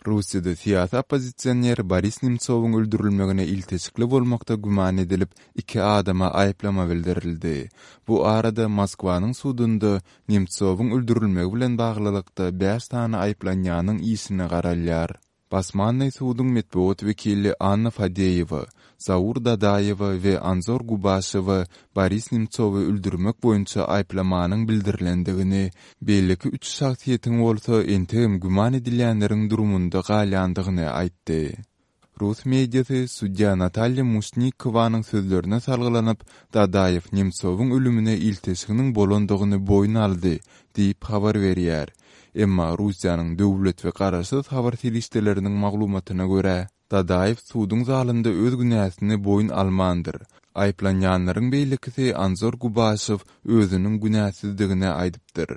Russiýada syýasy oppozisioner Boris Nemtsowyň öldürilmegine ilteşikli bolmakda güman edilip, iki adama aýyplama bildirildi. Bu arada Moskwanyň sudunda Nemtsowyň öldürilmegi bilen baglylykda bäş sany aýyplanýanyň işine garalýar. Basmannyý suduň metbugat wekili Anna Fadeýewa, Zaur Dadaýewa we Anzor Gubaşewa Boris Nemtsowy öldürmek boýunça aýyplamanyň bildirilendigini, beýleki üç şahsyýetiň bolsa entegem güman edilýänleriň durumynda galýandygyny aýtdy. Rus mediasy sudýa Natalýa Muşnikowanyň sözlerine salgylanyp, Dadaýew Nemtsowyň ölümine ilteşiginiň bolandygyny boýun aldy diýip habar berýär. Emma Russiýanyň döwlet we garaşsyz habar serişdeleriniň maglumatyna görä, Dadaýew suduň zalynda öz günäsini boýun almandyr. Aýyplanýanlaryň beýlekisi Anzor Gubaşew özüniň günäsizdigini aýdypdyr.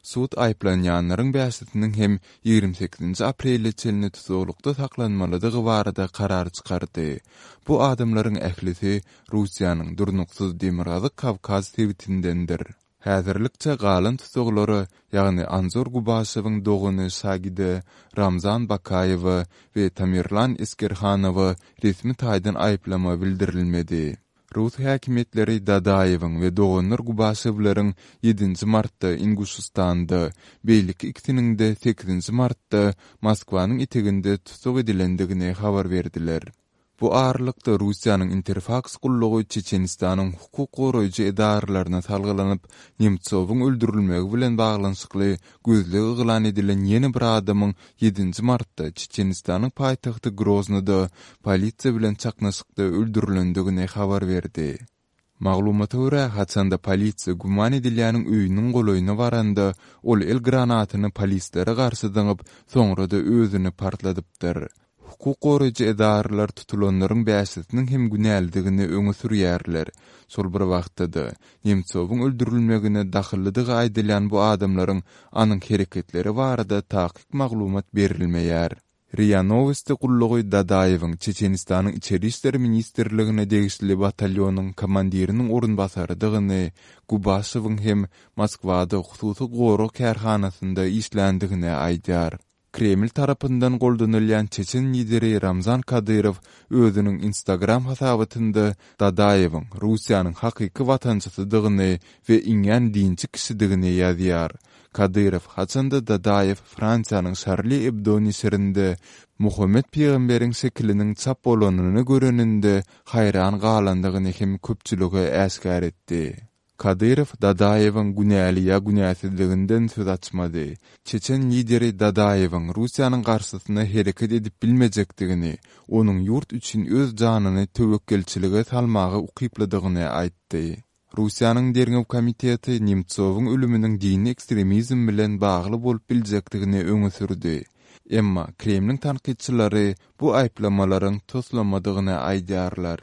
Sud aýyplanýanlaryň bäşisiniň hem 28-nji aprele çenli tussaglykda saklanmalydygy barada karar çykardy. Bu adamlaryň ählisi Russiýanyň durnuksyz Demirgazyk Kawkaz sebitindendir. Häzirlikçe galan tussaglara, ýagny Anzor Gubaşewiň dogany Şagide, Ramzan Bakaýewe we Tamerlan Eskerhanowa resmi taýdan aýyplama bildirilmedi. Rus häkimiýetleri Dadaýewiň we doganlar Gubaşewleriň ýedinji martda Inguşystanda, beýleki ikisiniň-de sekizinji martda Moskwanyň eteginde tussag edilendigini habar berdiler. Bu aralykda, Russiýanyň Interfaks gullugy Çeçenistanyň hukuk goraýjy edaralaryna salgylanyp, Nemtsowyň öldürilmegi bilen baglanyşykly gözleg yglan edilen ýene bir adamyň ýedinji martda Çeçenistanyň paýtagty Groznyda polisiýa bilen çaknyşykda öldürilendigini habar berdi. Maglumata görä, haçanda polisiýa güman edilýäniň öýüniň golaýyna baranda, ol el granatyny polislere garşy zyňyp, soňra-da özüni partladypdyr. Hukuk goraýjy edaralar tutulanlaryň bäşisiniň hem günälidigini öňe sürýärler. Şol bir wagtda-da, Nemtsowyň öldürilmegine dahyllydygy aýdylýan bu adamlaryň anyk hereketleri barada takyk maglumat berilmeýär. Ria Nowosti gullugy Dadaýewiň Çeçenistanyň Içeri işler ministrligine degişli batalýonyň komandiriniň orunbasarydygyny, Gubaşewiň hem Moskwada hususy gorag kärhanasynda işländigini aýdýar. Kreml tarapyndan goldanylýan çeçen lideri Ramzan Kadyrow özüniň Instagram hasabatynda Dadaýewiň Russiýanyň hakyky watançysydygyny we iňňän dinçi kişidigini ýazýar. Kadyrow haçanda Dadaýew Fransiýanyň Şarli Ebdo neşirinde Muhammet pygamberiň şekiliniň çap bolanyny göreninde haýran galandygyny hem köpçülige äşgär etdi. Kadyrow Dadaýewiň günäli ýa günäsizliginden söz açmady. Çeçen lideri Dadaýewiň Russiýanyň garşysyna hereket edip bilmejekdigini, onuň ýurt üçin öz janyny töwekgelçilige salmaga ukyplydygyny aýtdy. Russiýanyň Derňew komiteti Nemtsowyň ölüminiň dini ekstremizm bilen bagly bolup biljekdigini öňe sürdi. Emma Kremliň tankytçylary bu aýyplamalaryň toslamadygyny aýdýarlar.